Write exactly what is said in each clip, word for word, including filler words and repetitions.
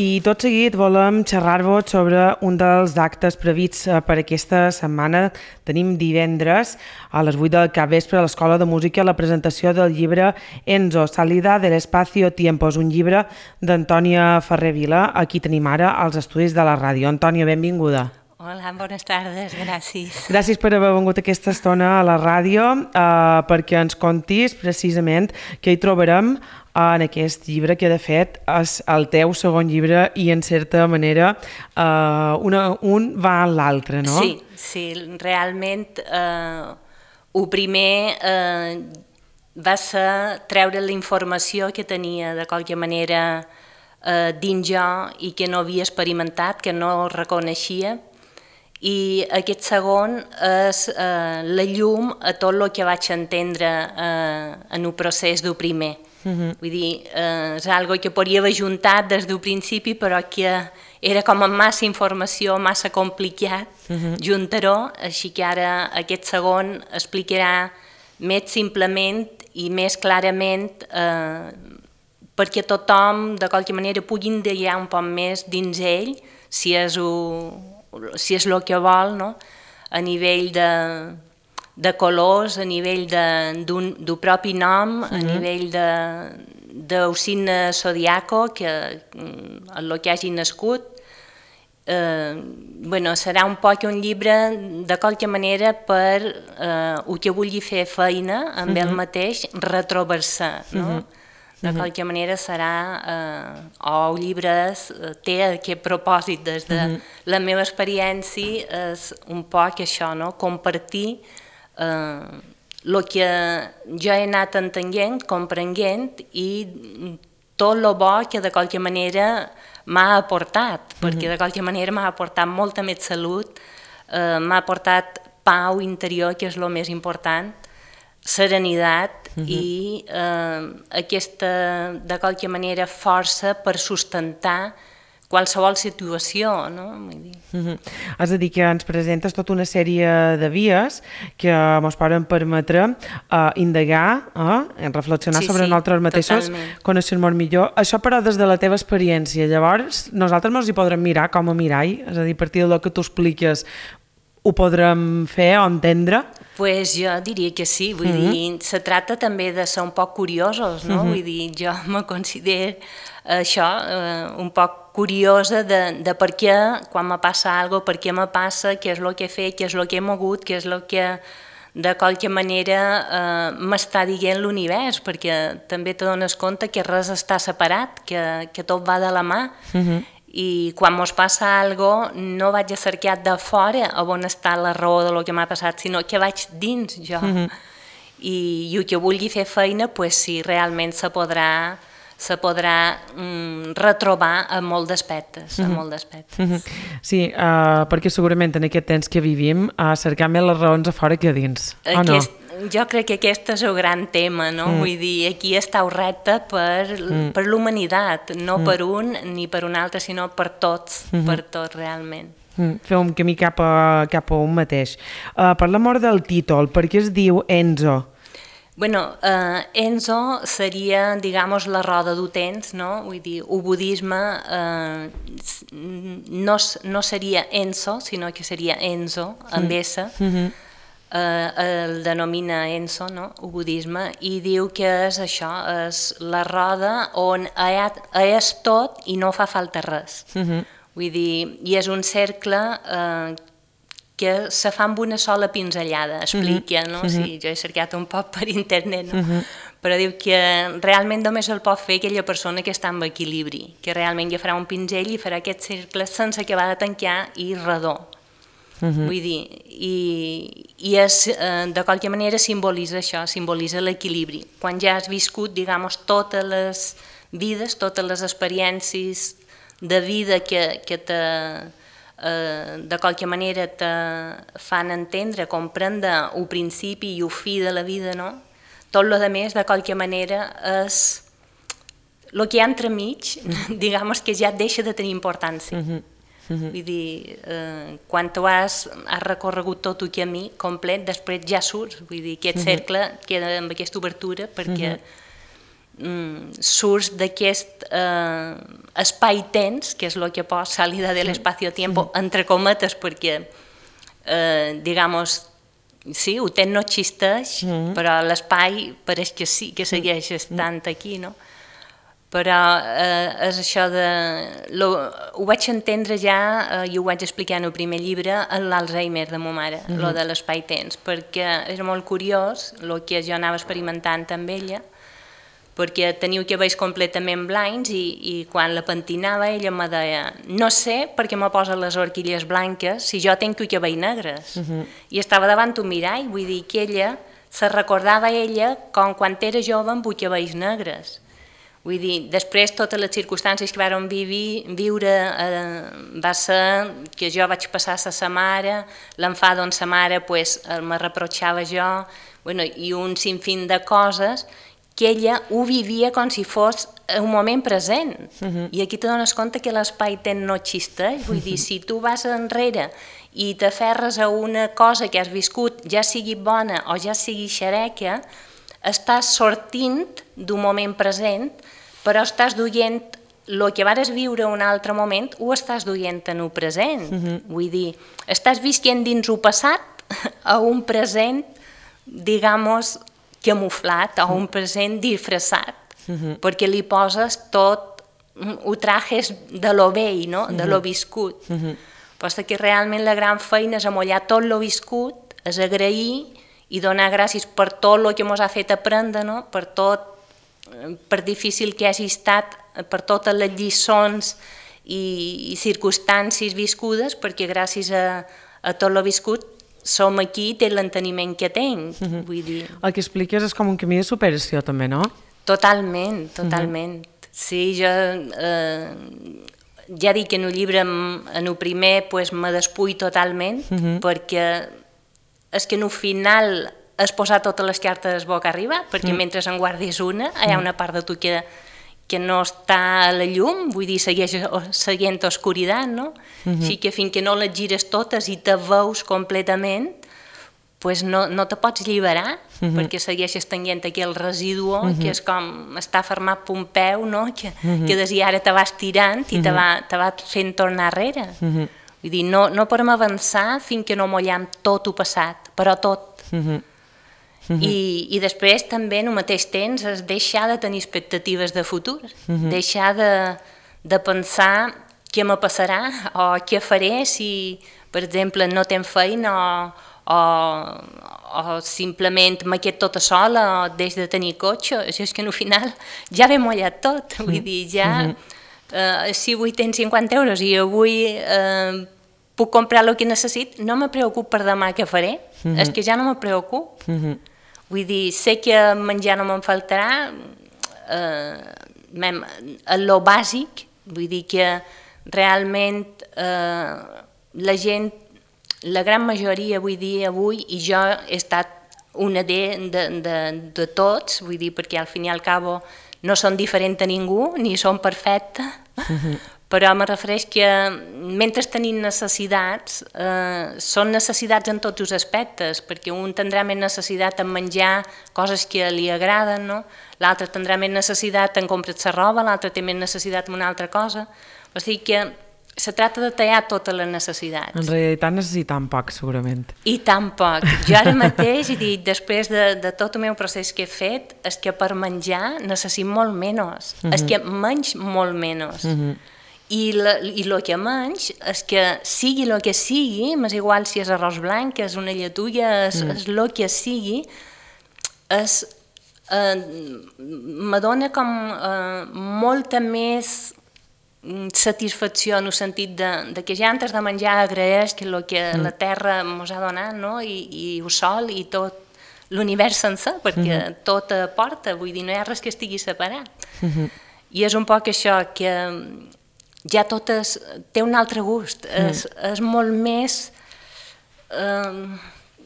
i tot seguit volem xerrar-vos sobre un dels actes prevists per aquesta setmana. Tenim divendres a les vuit del capvespre a l'Escola de Música la presentació del llibre Enzo, Salida del Espacio Tiempos, un llibre d'Antònia Ferrer Vila. Aquí tenim ara als estudis de la ràdio. Antònia, benvinguda. Hola, bones tardes, gràcies. Gràcies per haver vingut aquesta estona a la ràdio eh, perquè ens contis precisament què hi trobarem en aquest llibre que de fet és el teu segon llibre i en certa manera eh, una, un va a l'altre, no? Sí, sí, realment eh, el primer eh, va ser treure la informació que tenia de qualque manera eh, dins jo i que no havia experimentat, que no reconeixia. I aquest segon és eh, la llum a tot el que vaig entendre eh, en el procés del primer. Uh-huh. Vull dir, eh, és algo que podria haver juntat des del principi, però que era com amb massa informació, massa complicat uh-huh. juntar-ho, així que ara aquest segon explicarà més simplement i més clarament eh, perquè tothom, de qualque manera, pugui indagar un poc més dins ell, si és el... si és el que vol, no? A nivell de, de colors, a nivell d'un propi nom, a nivell del signe zodiaco, que el que hagi nascut. Eh, bueno, serà un poc un llibre, de qualque manera, per eh, el que vulgui fer feina amb ell mateix, retrobar-se, no? De qualque manera serà, eh, o el llibre és, té aquest propòsit des de uh-huh. la meva experiència, és un poc això, no? Compartir eh, el que jo he anat entenent, comprenent i tot el bo que de qualque manera m'ha aportat, uh-huh. perquè de qualque manera m'ha aportat molta més salut, eh, m'ha aportat pau interior, que és el més important, serenitat uh-huh. i eh, aquesta, de qualque manera, força per sustentar qualsevol situació, no? Vull dir. Uh-huh. És a dir, que ens presentes tota una sèrie de vies que ens poden permetre uh, indagar, uh, reflexionar sí, sobre sí, nosaltres mateixos, conèixer-nos millor. Això, però, des de la teva experiència. Llavors, nosaltres ens hi podrem mirar com a mirall, és a dir, a partir del que tu expliques, ho podrem fer o entendre? Pues jo diria que sí, vull uh-huh. dir, se tracta també de ser un poc curiosos, no? Uh-huh. Vull dir, jo me considero això, eh, un poc curiosa de, de per què, quan me passa alguna cosa, per què me passa, què és el que he fet, què és el que he mogut, què és el que de qualque manera eh, m'està dient l'univers, perquè també te dones compte que res està separat, que, que tot va de la mà. Uh-huh. I quan mos passa alguna cosa no vaig a cercar de fora on està la raó del que m'ha passat, sinó que vaig dins jo. Uh-huh. I, i el que vulgui fer feina, pues sí, realment se podrà, se podrà mm, retrobar a molts d'aspectes. Uh-huh. A molt d'aspectes. Uh-huh. Sí, uh, perquè segurament en aquest temps que vivim uh, cercar més les raons a fora que a dins, o no? Jo crec que aquest és el gran tema, no? Mm. Vull dir, aquí està el repte per, mm. per l'humanitat, no mm. per un ni per un altre, sinó per tots, mm-hmm. per tots realment. Mm. Fer un camí cap a, cap a un mateix. Uh, per l'amor del títol, per què es diu Enzo? Bueno, uh, Enzo seria, digamos, la roda del temps, no? Vull dir, el budisme uh, no, no seria Enzo, sinó que seria Enzo, amb mm. S, mm-hmm. Uh, el denomina Enzo, no? El budisme, i diu que és això, és la roda on és tot i no fa falta res. Uh-huh. Vull dir, i és un cercle uh, que se fa amb una sola pinzellada, explica, uh-huh. no? Uh-huh. Sí, jo he cercat un poc per internet, no? Uh-huh. Però diu que realment només el pot fer aquella persona que està en equilibri, que realment ja farà un pinzell i farà aquest cercle sense acabar de tancar i redó. Uh-huh. Vull dir, i, i és, eh, de qualque manera simbolitza això, simbolitza l'equilibri. Quan ja has viscut, diguem, totes les vides, totes les experiències de vida que, que te, eh, de qualque manera te fan entendre, comprendre el principi i el fi de la vida, no? Tot el més, de qualque manera, és el que hi ha entremig, diguem, que ja deixa de tenir importància. Uh-huh. Uh-huh. Vull dir, eh, quan tu has, has recorregut tot el camí complet, després ja surts, vull dir, aquest cercle uh-huh. queda amb aquesta obertura perquè uh-huh. mm, surts d'aquest eh, espai-temps, que és el que posa salida de l'espacio-tiempo, entre cometes, perquè, eh, digamos, sí, el temps no existeix, mm. però l'espai pareix que sí, que segueix estant aquí, no? Però eh, és això de... Lo, ho vaig entendre ja, eh, i ho vaig explicar en el primer llibre, en l'Alzheimer de ma mare, mm -hmm. lo de l'espai-temps, perquè era molt curiós el que jo anava experimentant amb ella, perquè teniu cabells completament blancs i, i quan la pentinava ella me deia no sé per què me posen les horquilles blanques si jo tinc cabells negres. Mm -hmm. I estava davant un mirall, vull dir que ella se recordava ella com quan era jove amb cabells negres. Vull dir, després totes les circumstàncies que vàrem viure, viure eh, va ser que jo vaig passar a sa mare, l'enfado amb sa mare pues, me reprotxava jo, bueno, i un sinfín de coses que ella ho vivia com si fos un moment present. Uh-huh. I aquí te dones compte que l'espai-temps no existeix. Vull dir, si tu vas enrere i t'aferres a una cosa que has viscut, ja sigui bona o ja sigui xereca, estàs sortint d'un moment present, però estàs duient el que vares viure un altre moment, ho estàs duient en el present. Uh-huh. Vull dir, estàs visquent dins el passat a un present, digamos, camuflat, o un present disfressat, uh-huh. perquè li poses tot, ho trajes de lo vell, no? Uh-huh. de lo viscut. Uh-huh. Però que realment la gran feina és amollar tot lo viscut, és agrair i donar gràcies per tot el que ens ha fet aprendre, no? per tot, per difícil que hagi estat, per totes les lliçons i, i circumstàncies viscudes, perquè gràcies a, a tot lo viscut som aquí i té l'enteniment que tenc. Uh-huh. Vull dir... El que expliques és com un camí de superació també, no? Totalment, totalment. Uh-huh. Sí, jo eh, ja dic que en el llibre, en el primer, pues, me despull totalment, uh-huh. perquè és que en el final és posar totes les cartes boca arriba, perquè uh-huh. mentre en guardis una, hi ha una part de tu que que no està a la llum, vull dir, segueix seguint oscuritat, no? Uh-huh. Així que fins que no les gires totes i te veus completament, pues no, no te pots alliberar, uh-huh. perquè segueixes tenint aquell residu, uh-huh. que és com està fermat per un peu, no? que, uh-huh. que des i ara te vas tirant i uh-huh. te, va, te va fent tornar enrere. Uh-huh. Vull dir, no, no podem avançar fins que no mollam tot el passat, però tot. Uh-huh. Uh-huh. I, i després també en el mateix temps és deixar de tenir expectatives de futur, uh-huh. deixar de, de pensar què me passarà o què faré si, per exemple, no tenc feina o, o, o simplement me quedo tota sola o deix de tenir cotxe. Això és que al final ja ve mullat tot, vull dir, ja uh-huh. eh, si avui tens cinquanta euros i avui eh, puc comprar el que necessit, no me preocupo per demà què faré, uh-huh. és que ja no me preocupo. Uh-huh. Vull dir, sé que menjar no me'n faltarà, eh, a lo bàsic, vull dir que realment eh, la gent, la gran majoria, vull dir, avui, i jo he estat una de, de, de, de tots, vull dir, perquè al fin i al cabo no són diferents a ningú, ni són perfectes, uh-huh. però me refereix que mentre tenim necessitats, eh, són necessitats en tots els aspectes, perquè un tindrà més necessitat en menjar coses que li agraden, no? L'altre tindrà més necessitat en comprar-se roba, l'altre té més necessitat en una altra cosa. O sigui que se tracta de tallar totes les necessitats. En realitat necessitem poc, segurament. I tan poc. Jo ara mateix, he dit, després de, de tot el meu procés que he fet, és que per menjar necessito molt menys, uh-huh. és que menys molt menys. Uh-huh. I el que menys és que sigui el que sigui, m'és igual si és arròs blanc, és una lletuga, és el mm. que sigui, és, eh, me dona com eh, molta més satisfacció en el sentit de, de que ja antes de menjar agraeix que el que mm. la terra ens ha donat, no? I, i el sol i tot l'univers sencer, perquè mm-hmm. tot aporta, vull dir, no hi ha res que estigui separat. Mm-hmm. I és un poc això que ja tot és, té un altre gust, mm. és, és molt més eh,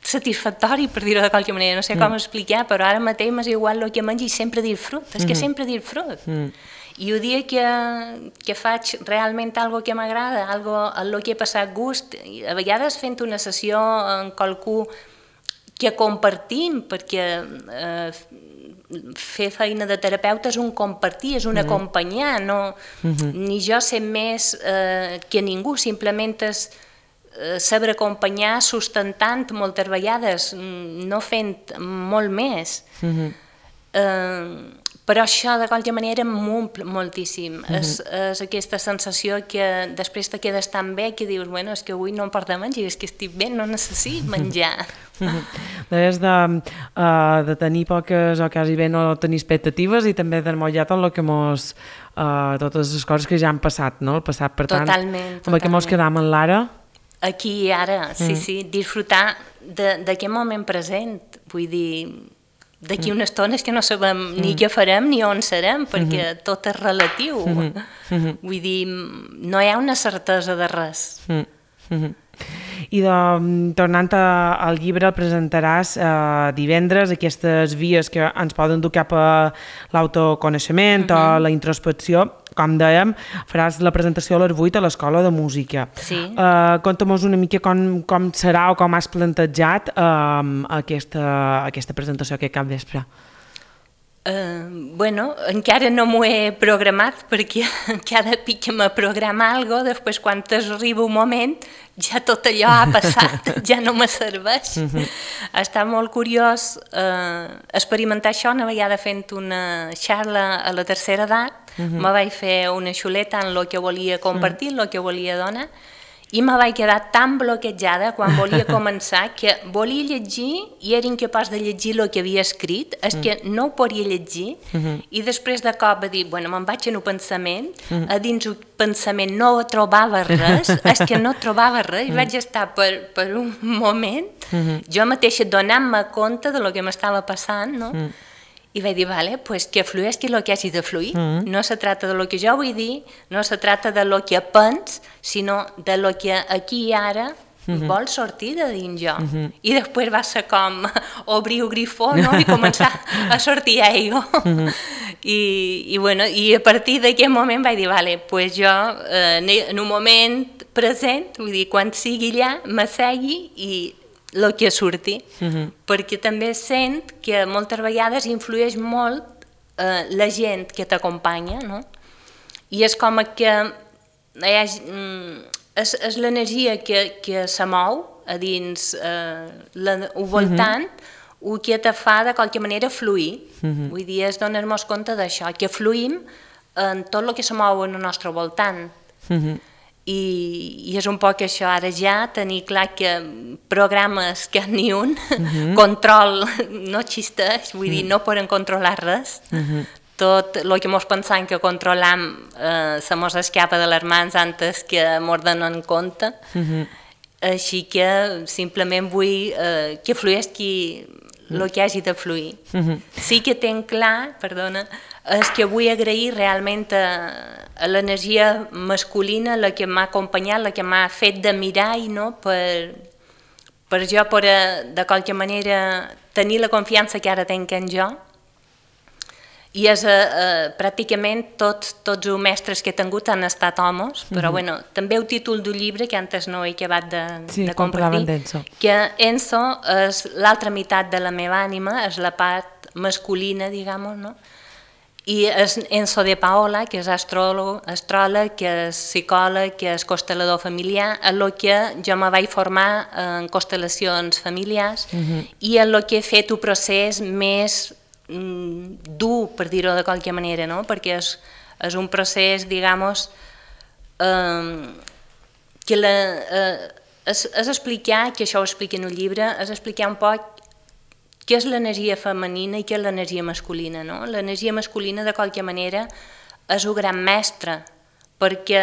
satisfactori, per dir-ho de qualque manera, no sé mm. com explicar, però ara mateix m'és igual el que mengi i sempre dir fruit, és mm. que sempre dir fruit. Mm. I el dia que, que faig realment algo que m'agrada, algo en el que he passat gust, a vegades fent una sessió amb qualcú que compartim, perquè eh, fer feina de terapeuta és un compartir, és un mm. acompanyar, no, mm-hmm. ni jo sé més eh, que ningú, simplement és eh, saber acompanyar sustentant moltes vegades, no fent molt més. Mm-hmm. eh, però això de qualsevol manera m'omple moltíssim. Mm-hmm. és, és aquesta sensació que després te quedes tan bé que dius, bueno, és que avui no em porta a menjar, és que estic bé, no necessito menjar. Mm-hmm. Deies de, uh, de tenir poques o quasi bé no tenir expectatives i també d'emmotllar tot el que mos, uh, totes les coses que ja han passat, no? El passat, per tant, totalment, amb el que mos quedam en l'ara. Aquí i ara, sí, mm. sí, disfrutar d'aquest moment present, vull dir, d'aquí una estona és que no sabem mm. ni què farem ni on serem, perquè mm-hmm. tot és relatiu. Mm-hmm. Vull dir, no hi ha una certesa de res. Mm-hmm. I de, tornant a, al llibre, el presentaràs eh, divendres aquestes vies que ens poden dur cap a l'autoconeixement mm-hmm. o la introspecció. Com dèiem, faràs la presentació a les vuit a l'Escola de Música. Sí. Uh, Conta'm-nos una mica com, com serà o com has plantejat uh, aquesta, aquesta presentació aquest cap vespre. Uh, bueno, encara no m'ho he programat perquè cada pic que me programa alguna cosa, després quan arriba un moment ja tot allò ha passat, ja no me serveix. Uh-huh. Està molt curiós uh, experimentar això una vegada fent una xarra a la tercera edat. Uh-huh. Me vaig fer una xuleta en el que volia compartir, el uh-huh. que volia donar, i me vaig quedar tan bloquejada quan volia començar que volia llegir i era incapaç de llegir el que havia escrit, és mm. que no ho podia llegir, mm-hmm. i després de cop va dir, bueno, me'n vaig en un pensament, mm. a dins un pensament no trobava res, és que no trobava res, mm. i vaig estar per, per un moment, mm-hmm. jo mateixa donant-me compte de lo que m'estava passant, no? Mm. I vaig dir, vale, pues que flueixi el que hagi de fluir. Mm. No se trata de lo que jo vull dir, no se trata de lo que pens, sinó de lo que aquí i ara mm-hmm. vol sortir de dins jo. Mm-hmm. I després va ser com obrir el grifó, no? I començar a sortir aigua. Mm-hmm. I, i, bueno, I a partir d'aquest moment vaig dir, vale, pues jo eh, en un moment present, vull dir, quan sigui allà, m'assegui i el que surti, uh-huh. perquè també sent que moltes vegades influeix molt eh, la gent que t'acompanya, no? I és com que eh, és, és l'energia que, que se mou a dins eh, la, al voltant, uh-huh. el que te fa de qualque manera fluir. Uh-huh. Vull dir, és donar-nos compte d'això, que fluïm en tot el que se mou en el nostre voltant. Uh-huh. I, i és un poc això, ara ja tenir clar que programes que ni un, uh-huh. control no existeix, vull uh-huh. dir, no poden controlar res, uh-huh. tot el que mos pensam que controlam eh, se mos escapa de les mans antes que mos donen compte, uh-huh. així que simplement vull eh, que flueixi el que hagi de fluir. Uh-huh. Sí que tenc clar, perdona, és que vull agrair realment a, a l'energia masculina, la que m'ha acompanyat, la que m'ha fet de mirar i no per, per jo, per a, de qualque manera, tenir la confiança que ara tenc en jo. I és, eh, pràcticament tots, tots els mestres que he tingut han estat homes, però uh-huh. bueno, també el títol d'un llibre que antes no he acabat de, sí, de compartir, que Enso és l'altra meitat de la meva ànima, és la part masculina, diguem, no? I és Enzo de Paola, que és astròleg, astròleg, que és psicòleg, que és constel·lador familiar, en el que jo me vaig formar en constel·lacions familiars uh-huh. i en el que he fet un procés més mm, dur, per dir-ho de qualque manera, no? Perquè és, és un procés, diguem, eh, que la, eh, és, és explicar, que això ho explica en un llibre, és explicar un poc què és l'energia femenina i què és l'energia masculina, no? L'energia masculina, de qualque manera, és un gran mestre, perquè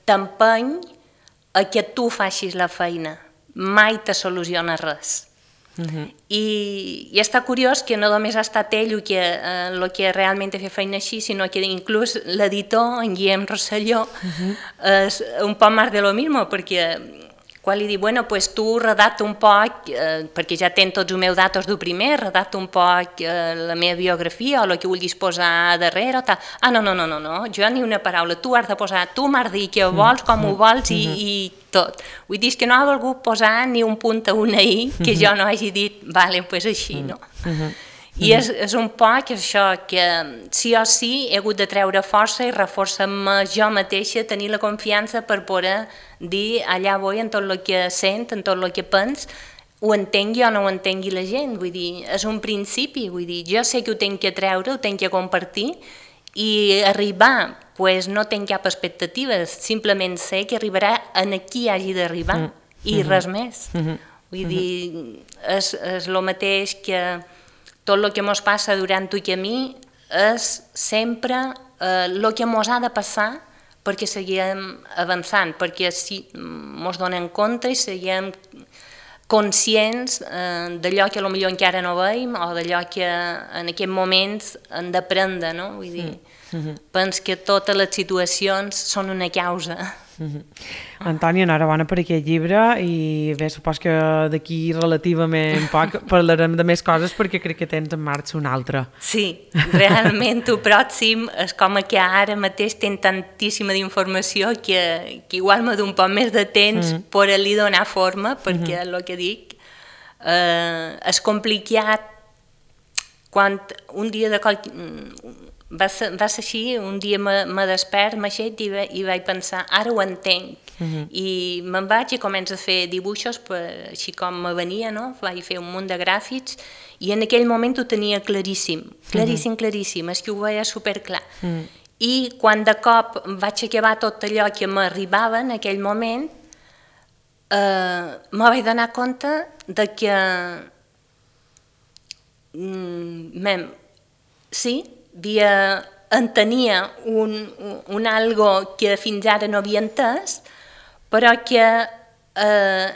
t'empeny a que tu facis la feina, mai te soluciona res. Uh-huh. I, I està curiós que no només ha estat ell el que, eh, el que realment ha fet feina així, sinó que inclús l'editor, en Guillem Rosselló, uh-huh. és un poc més de lo mismo, perquè quan li dic, bueno, pues tu redacta un poc, eh, perquè ja tens tots els meus datos del primer, redacta un poc eh, la meva biografia o el que vulguis posar darrere o tal. Ah, no, no, no, no, no, jo ni una paraula, tu has de posar, tu m'has de dir què vols, com ho vols i, i tot. Vull dir que no ha volgut posar ni un punt a una i que jo no hagi dit, vale, pues així, no? I és, és un poc això, que sí o sí he hagut de treure força i reforçar-me jo mateixa, tenir la confiança per poder dir allà vull en tot el que sent, en tot el que pens, ho entengui o no ho entengui la gent, vull dir, és un principi, vull dir, jo sé que ho tenc que treure, ho tenc que compartir i arribar, pues no tenc cap expectatives, simplement sé que arribarà en qui hagi d'arribar mm. i mm-hmm. res més. Mm-hmm. Vull mm-hmm. dir, és, és el mateix que tot el que ens passa durant el camí és sempre el eh, que ens ha de passar perquè seguim avançant, perquè si ens donem compte i seguim conscients eh, d'allò que potser encara no veiem o d'allò que en aquests moments hem d'aprendre, no? Vull dir, mm-hmm. penso que totes les situacions són una causa. Mm-hmm. Antònia, enhorabona per aquest llibre i bé, supos que d'aquí relativament poc parlarem de més coses perquè crec que tens en marxa una altra. Sí, realment el pròxim és com que ara mateix tenc tantíssima d'informació que, que igual me d'un poc més de temps mm-hmm. per li donar forma perquè mm-hmm. el que dic eh, és complicat quan un dia de qual... Va ser, va ser així, un dia me, me despert, m'aixet i, i vaig pensar, ara ho entenc. Uh-huh. I me'n vaig i començo a fer dibuixos, per, així com me venia, no? Vaig fer un munt de gràfics i en aquell moment ho tenia claríssim, claríssim, uh-huh. claríssim, és que ho veia superclar. Uh-huh. I quan de cop vaig acabar tot allò que m'arribava en aquell moment, eh, me vaig donar compte de que mm, sí, havia, entenia un, un algo que fins ara no havia entès, però que eh,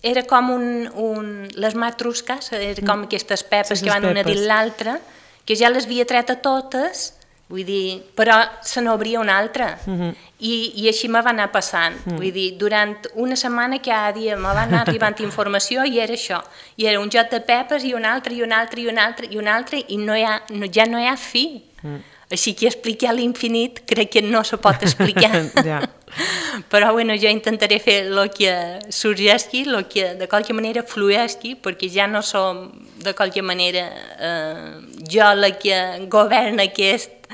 era com un, un, les matrusques, era com aquestes pepes sí, que van una dins l'altra, que ja les havia tret a totes, vull dir, però se n'obria una altra. Uh-huh. I, I així me va anar passant. Uh-huh. Vull dir, durant una setmana cada dia me va anar arribant informació i era això. I era un joc de pepes i un altre, i un altre, i un altre, i un altre, i no hi ha, no, ja no hi ha fi. Uh-huh. Així que explicar l'infinit crec que no se pot explicar. Ja. Però bueno, jo intentaré fer el que sorgeixi, el que de qualque manera flueixi, perquè ja no som de qualque manera eh, jo la que governa aquest,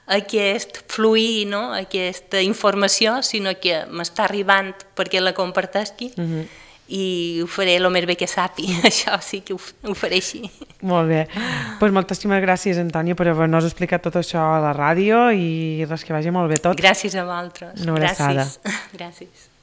aquest fluir, no? Aquesta informació, sinó que m'està arribant perquè la comparteixi. Uh-huh. I ho faré el més bé que sapi, això sí que ho, ho faré així. Molt bé, pues moltíssimes gràcies, Antònia, per haver-nos explicat tot això a la ràdio i res, que vagi molt bé tot. Gràcies a vosaltres. Una abraçada. Gràcies. Gràcies.